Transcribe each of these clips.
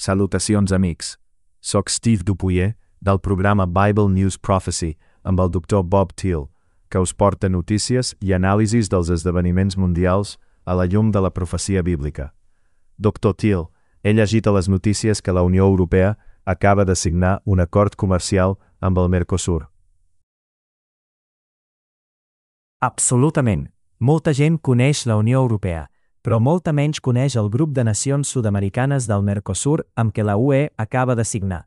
Salutacions, amics. Soc Steve Dupuyer, del programa Bible News Prophecy, amb el doctor Bob Thiel, que us porta notícies i anàlisis dels esdeveniments mundials a la llum de la profecia bíblica. Dr. Thiel, he llegit a les notícies que la Unió Europea acaba de signar un acord comercial amb el Mercosur. Absolutament. Molta gent coneix la Unió Europea, però molta menys coneix el grup de nacions sud-americanes del Mercosur amb què la UE acaba de signar.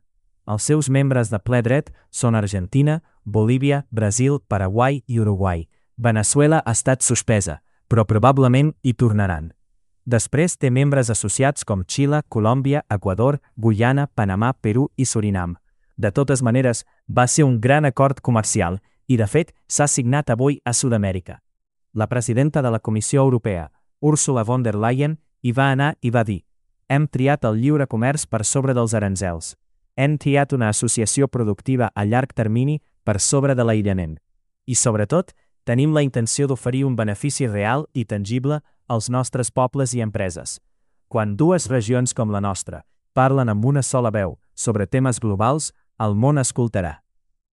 Els seus membres de ple dret són Argentina, Bolívia, Brasil, Paraguai i Uruguai. Veneçuela ha estat suspesa, però probablement hi tornaran. Després té membres associats com Xile, Colòmbia, Equador, Guyana, Panamà, Perú i Surinam. De totes maneres, va ser un gran acord comercial i, de fet, s'ha signat avui a Sud-amèrica. La presidenta de la Comissió Europea, Ursula von der Leyen, hi va anar i va dir: hem triat el lliure comerç per sobre dels aranzels. Hem triat una associació productiva a llarg termini per sobre de l'aïllament. I, sobretot, tenim la intenció d'oferir un benefici real i tangible als nostres pobles i empreses. Quan dues regions com la nostra parlen amb una sola veu sobre temes globals, el món escoltarà.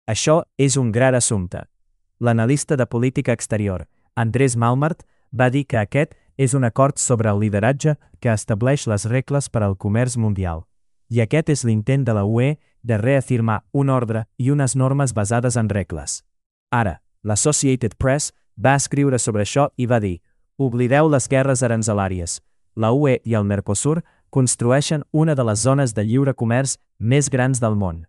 Això és un gran assumpte. L'analista de política exterior, Andrés Malmart, va dir que aquest és un acord sobre el lideratge que estableix les regles per al comerç mundial. I aquest és l'intent de la UE de reafirmar un ordre i unes normes basades en regles. Ara, l'Associated Press va escriure sobre això i va dir: oblideu les guerres aranzelàries. La UE i el Mercosur construeixen una de les zones de lliure comerç més grans del món.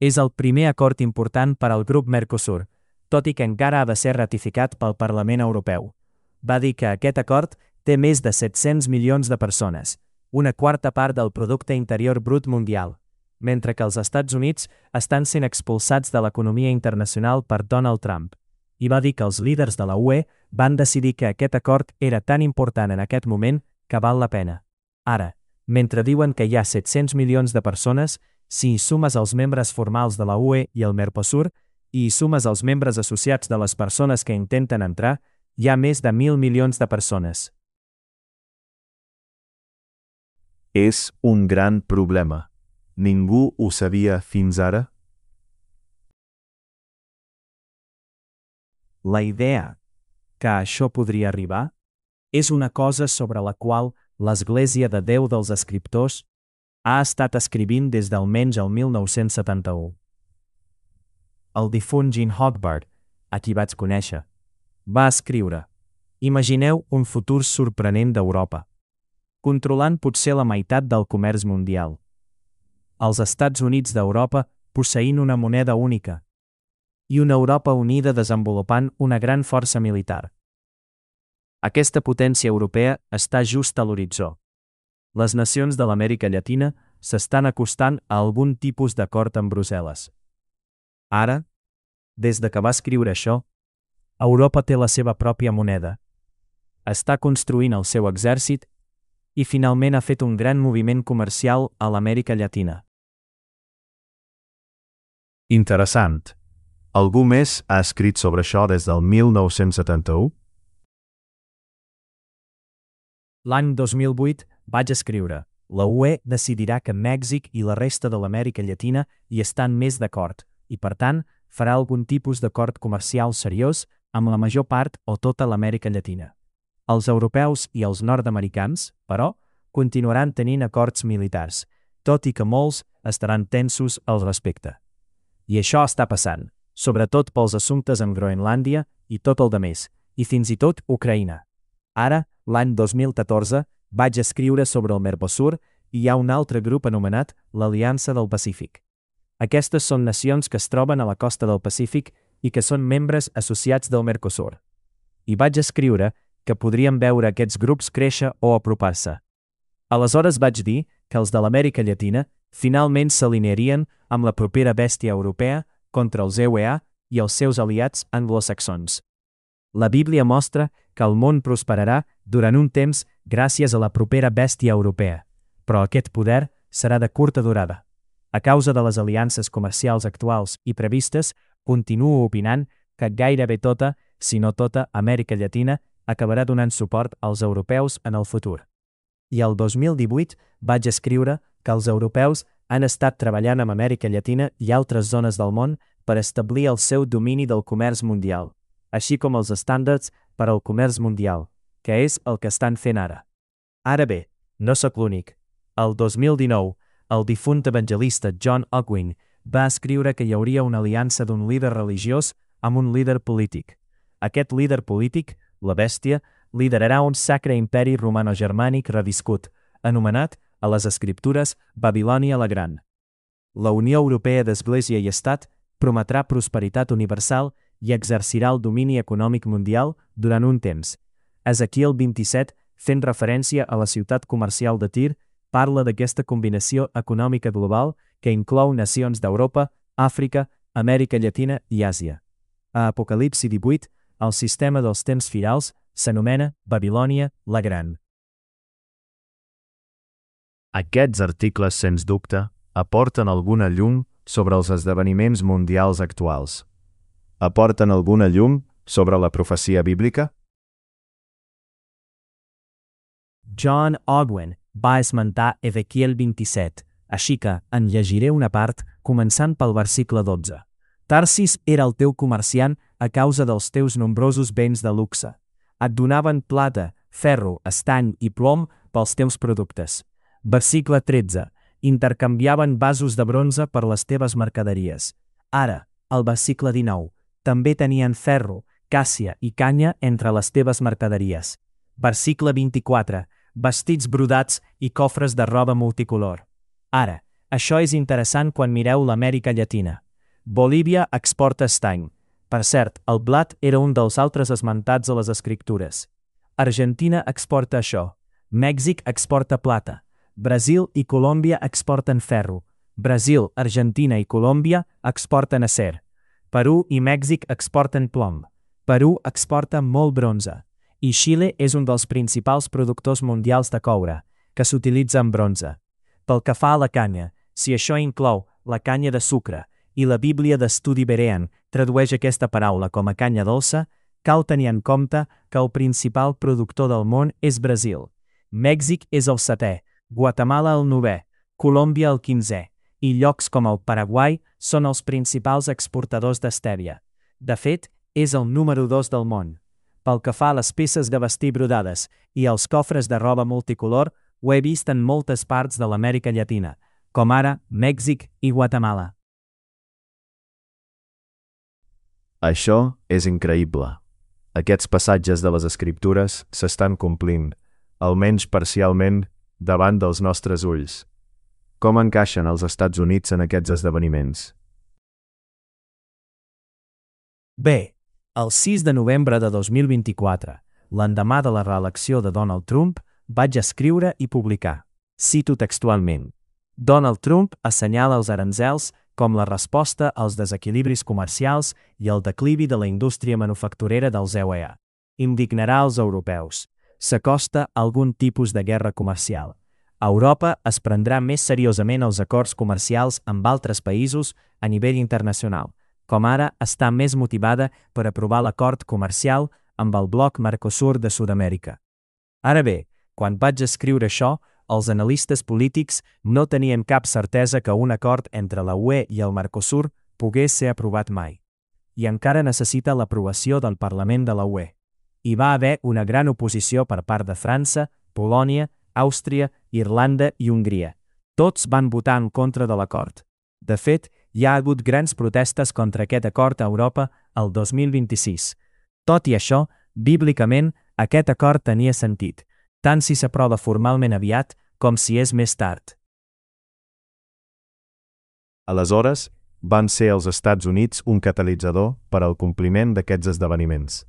És el primer acord important per al grup Mercosur, tot i que encara ha de ser ratificat pel Parlament Europeu. Va dir que aquest acord té més de 700 milions de persones, una quarta part del producte interior brut mundial, mentre que els Estats Units estan sent expulsats de l'economia internacional per Donald Trump. I va dir que els líders de la UE van decidir que aquest acord era tan important en aquest moment que val la pena. Ara, mentre diuen que hi ha 700 milions de persones, si hi sumes els membres formals de la UE i el Mercosur, i hi sumes els membres associats de les persones que intenten entrar, hi ha més de 1.000 milions de persones. És un gran problema. Ningú ho sabia fins ara? La idea que això podria arribar és una cosa sobre la qual l'Església de Déu dels Escriptors ha estat escrivint des d'almenys el 1971. El difunt Gene Hogbardt, a qui vaig conèixer, va escriure: imagineu un futur sorprenent d'Europa, controlant potser la meitat del comerç mundial. Els Estats Units d'Europa posseint una moneda única i una Europa unida desenvolupant una gran força militar. Aquesta potència europea està just a l'horitzó. Les nacions de l'Amèrica Llatina s'estan acostant a algun tipus d'acord amb Brussel·les. Ara, des de que va escriure això, Europa té la seva pròpia moneda. Està construint el seu exèrcit i finalment ha fet un gran moviment comercial a l'Amèrica Llatina. Interessant. Algú més ha escrit sobre això des del 1971? L'any 2008 vaig escriure: la UE decidirà que Mèxic i la resta de l'Amèrica Llatina hi estan més d'acord i, per tant, farà algun tipus d'acord comercial seriós amb la major part o tota l'Amèrica Llatina. Els europeus i els nord-americans, però, continuaran tenint acords militars, tot i que molts estaran tensos al respecte. I això està passant, sobretot pels assumptes amb Groenlàndia i tot el demés, i fins i tot Ucraïna. Ara, l'any 2014, vaig escriure sobre el Mercosur i hi ha un altre grup anomenat l'Aliança del Pacífic. Aquestes són nacions que es troben a la costa del Pacífic i que són membres associats del Mercosur. I vaig escriure que podríem veure aquests grups créixer o apropar-se. Aleshores vaig dir que els de l'Amèrica Llatina finalment s'alinearien amb la propera bèstia europea contra els EUA i els seus aliats anglosaxons. La Bíblia mostra que el món prosperarà durant un temps gràcies a la propera bèstia europea, però aquest poder serà de curta durada. A causa de les aliances comercials actuals i previstes, continuo opinant que gairebé tota, si no tota, Amèrica Llatina acabarà donant suport als europeus en el futur. I el 2018 vaig escriure que els europeus han estat treballant amb Amèrica Llatina i altres zones del món per establir el seu domini del comerç mundial, així com els estàndards per al comerç mundial, que és el que estan fent ara. Ara bé, no sóc l'únic. El 2019, el difunt evangelista John Ogwyn va escriure que hi hauria una aliança d'un líder religiós amb un líder polític. Aquest líder polític, la bèstia, liderarà un sacre imperi romano-germànic reviscut, anomenat, a les escriptures, Babilònia la Gran. La Unió Europea d'Església i Estat prometrà prosperitat universal i exercirà el domini econòmic mundial durant un temps. Ezequiel 27, fent referència a la ciutat comercial de Tir, parla d'aquesta combinació econòmica global que inclou nacions d'Europa, Àfrica, Amèrica Llatina i Àsia. A Apocalipsi 18, el sistema dels temps finals s'anomena Babilònia la Gran. Aquests articles, sens dubte, aporten alguna llum sobre els esdeveniments mundials actuals. Aporten alguna llum sobre la profecia bíblica? John Ogwyn va esmentar Ezequiel 27, així que en llegiré una part, començant pel versicle 12. Tarsis era el teu comerciant a causa dels teus nombrosos béns de luxe. Et donaven plata, ferro, estany i plom pels teus productes. Versicle 13. Intercanviaven vasos de bronze per les teves mercaderies. Ara, al versicle 19, també tenien ferro, càssia i canya entre les teves mercaderies. Versicle 24. Vestits brodats i cofres de roba multicolor. Ara, això és interessant quan mireu l'Amèrica Llatina. Bolívia exporta estany. Per cert, el blat era un dels altres esmentats a les escriptures. Argentina exporta això. Mèxic exporta plata. Brasil i Colòmbia exporten ferro. Brasil, Argentina i Colòmbia exporten acer. Perú i Mèxic exporten plom. Perú exporta molt bronze. I Xile és un dels principals productors mundials de coure, que s'utilitza en bronze. Pel que fa a la canya, si això inclou la canya de sucre i la Bíblia d'Estudi Berean tradueix aquesta paraula com a canya dolça, cal tenir en compte que el principal productor del món és Brasil. Mèxic és el 7è, Guatemala el 9è, Colòmbia el 15è, i llocs com el Paraguai són els principals exportadors d'estèria. De fet, és el número 2 del món. Pel que fa a les peces de vestir brodades i els cofres de roba multicolor, ho he vist en moltes parts de l'Amèrica Llatina, com ara Mèxic i Guatemala. Això és increïble. Aquests passatges de les escriptures s'estan complint, almenys parcialment, davant dels nostres ulls. Com encaixen els Estats Units en aquests esdeveniments? Bé, el 6 de novembre de 2024, l'endemà de la reelecció de Donald Trump, vaig escriure i publicar. Cito textualment. Donald Trump assenyala els aranzels com la resposta als desequilibris comercials i al declivi de la indústria manufacturera dels EUA. Indignarà els europeus. S'acosta algun tipus de guerra comercial. Europa es prendrà més seriosament els acords comercials amb altres països a nivell internacional, com ara està més motivada per aprovar l'acord comercial amb el bloc Mercosur de Sud-amèrica. Ara bé, quan vaig escriure això, els analistes polítics no tenien cap certesa que un acord entre la UE i el Mercosur pogués ser aprovat mai. I encara necessita l'aprovació del Parlament de la UE. Hi va haver una gran oposició per part de França, Polònia, Àustria, Irlanda i Hongria. Tots van votar en contra de l'acord. De fet, hi ha hagut grans protestes contra aquest acord a Europa el 2026. Tot i això, bíblicament, aquest acord tenia sentit, tant si s'aprova formalment aviat com si és més tard. Aleshores, van ser els Estats Units un catalitzador per al compliment d'aquests esdeveniments.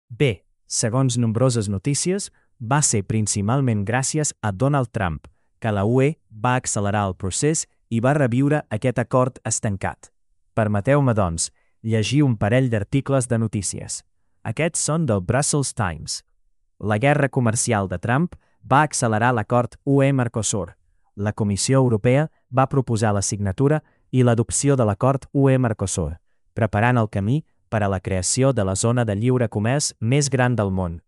Bé, segons nombroses notícies, va ser principalment gràcies a Donald Trump que la UE va accelerar el procés i va reviure aquest acord estancat. Permeteu-me, doncs, llegir un parell d'articles de notícies. Aquests són del Brussels Times. La guerra comercial de Trump va accelerar l'acord UE-Mercosur. La Comissió Europea va proposar la signatura i l'adopció de l'acord UE-Mercosur, preparant el camí per a la creació de la zona de lliure comerç més gran del món.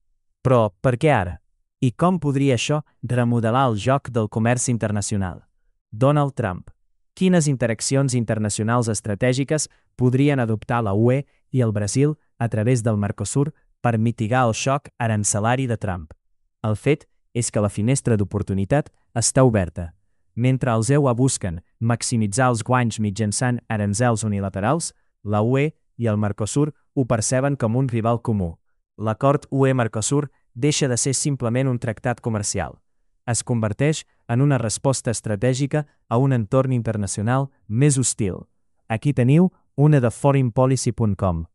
Però, per què ara? I com podria això remodelar el joc del comerç internacional? Donald Trump. Quines interaccions internacionals estratègiques podrien adoptar la UE i el Brasil a través del Mercosur per mitigar el xoc arancelari de Trump? El fet és que la finestra d'oportunitat està oberta. Mentre els EUA busquen maximitzar els guanys mitjançant aranzels unilaterals, la UE i el Mercosur ho perceben com un rival comú. L'acord UE-Mercosur deixa de ser simplement un tractat comercial. Es converteix en una resposta estratègica a un entorn internacional més hostil. Aquí teniu una de foreignpolicy.com.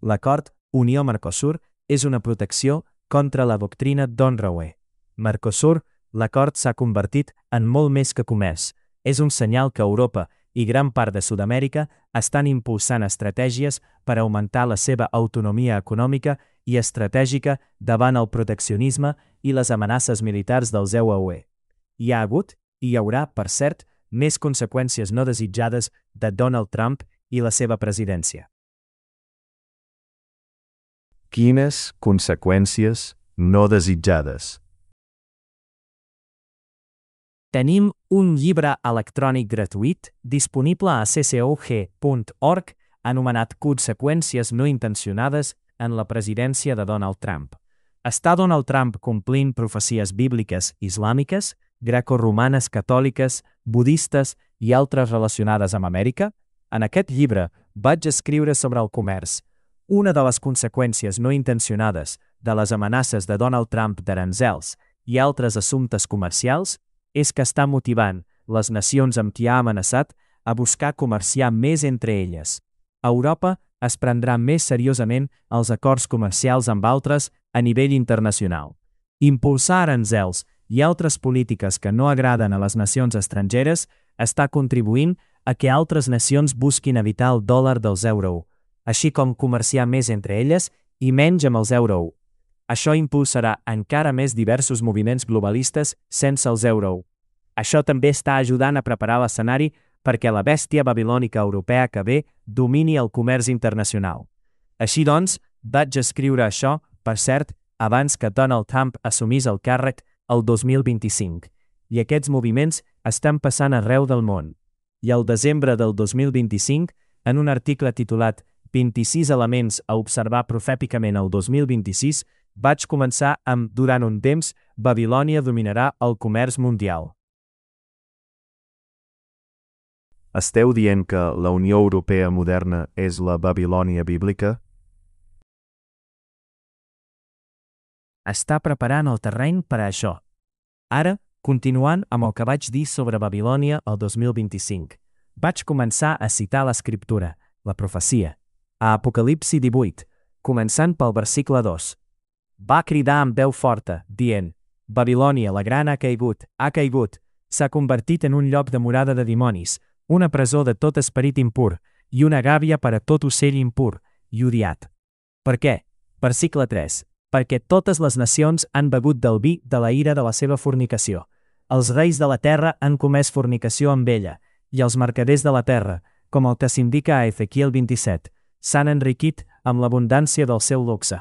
L'acord Unió-Mercosur és una protecció contra la doctrina d'honra UE. Mercosur, l'acord s'ha convertit en molt més que comerç. És un senyal que Europa i gran part de Sud-amèrica estan impulsant estratègies per augmentar la seva autonomia econòmica i estratègica davant el proteccionisme i les amenaces militars dels EUA-UE. Hi ha hagut, i hi haurà, per cert, més conseqüències no desitjades de Donald Trump i la seva presidència. Quines conseqüències no desitjades? Tenim un llibre electrònic gratuït disponible a ccog.org anomenat Conseqüències no intencionades en la presidència de Donald Trump. Està Donald Trump complint profecies bíbliques islàmiques, greco-romanes catòliques, budistes i altres relacionades amb Amèrica? En aquest llibre vaig escriure sobre el comerç. Una de les conseqüències no intencionades de les amenaces de Donald Trump d'aranzels i altres assumptes comercials és que està motivant les nacions amb qui ha amenaçat a buscar comerciar més entre elles. Europa es prendrà més seriosament els acords comercials amb altres a nivell internacional. Impulsar aranzels i altres polítiques que no agraden a les nacions estrangeres està contribuint a que altres nacions busquin evitar el dòlar dels euro, així com comerciar més entre elles i menys amb els euro. Això impulsarà encara més diversos moviments globalistes sense els euro. Això també està ajudant a preparar l'escenari perquè la bèstia babilònica europea que ve domini el comerç internacional. Així doncs, vaig escriure això, per cert, abans que Donald Trump assumís el càrrec el 2025. I aquests moviments estan passant arreu del món. I al desembre del 2025, en un article titulat 26 elements a observar profèticament el 2026, vaig començar amb durant un temps, Babilònia dominarà el comerç mundial. Esteu dient que la Unió Europea moderna és la Babilònia bíblica? Està preparant el terreny per a això. Ara, continuant amb el que vaig dir sobre Babilònia el 2025, vaig començar a citar l'escriptura, la profecia, a Apocalipsi 18, començant pel versicle 2. Va cridar amb veu forta, dient: Babilònia, la gran ha caigut, s'ha convertit en un lloc de morada de dimonis, una presó de tot esperit impur i una gàbia per a tot ocell impur i odiat. Per què? Versicle 3. Perquè totes les nacions han begut del vi de la ira de la seva fornicació. Els reis de la terra han comès fornicació amb ella, i els mercaders de la terra, com el que s'indica a Ezequiel 27, s'han enriquit amb l'abundància del seu luxe.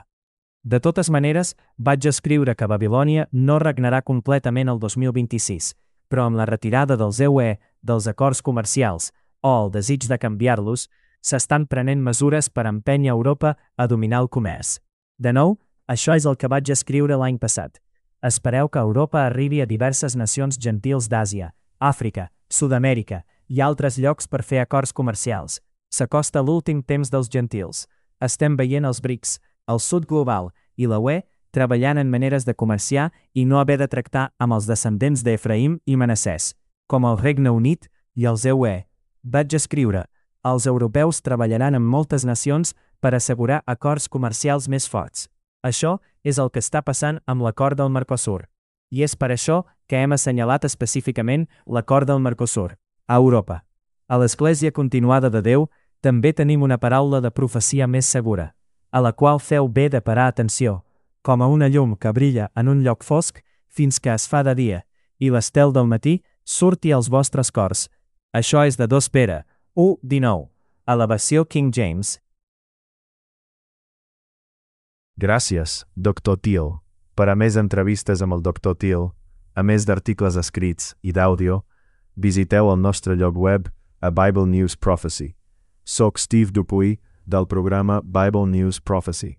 De totes maneres, vaig escriure que Babilònia no regnarà completament el 2026, però amb la retirada dels EUE, dels acords comercials, o el desig de canviar-los, s'estan prenent mesures per empènyer Europa a dominar el comerç. De nou, això és el que vaig escriure l'any passat. Espereu que Europa arribi a diverses nacions gentils d'Àsia, Àfrica, Sud-amèrica i altres llocs per fer acords comercials. S'acosta l'últim temps dels gentils. Estem veient els BRICS, el sud global i la UE treballant en maneres de comerciar i no haver de tractar amb els descendents d'Efraïm i Manassès, com el Regne Unit i els EUE. Vaig escriure: els europeus treballaran amb moltes nacions per assegurar acords comercials més forts. Això és el que està passant amb l'acord del Mercosur. I és per això que hem assenyalat específicament l'acord del Mercosur, a Europa. A l'Església Continuada de Déu també tenim una paraula de profecia més segura, a la qual feu bé de parar atenció, com a una llum que brilla en un lloc fosc fins que es fa de dia, i l'estel del matí surti als vostres cors. Això és de 2 Pere 1:19, a la versió King James. Gràcies, Dr. Thiel. Per a més entrevistes amb el Dr. Thiel, a més d'articles escrits i d'àudio, visiteu el nostre lloc web a Bible News Prophecy. Soc Steve Dupuy, del programa Bible News Prophecy.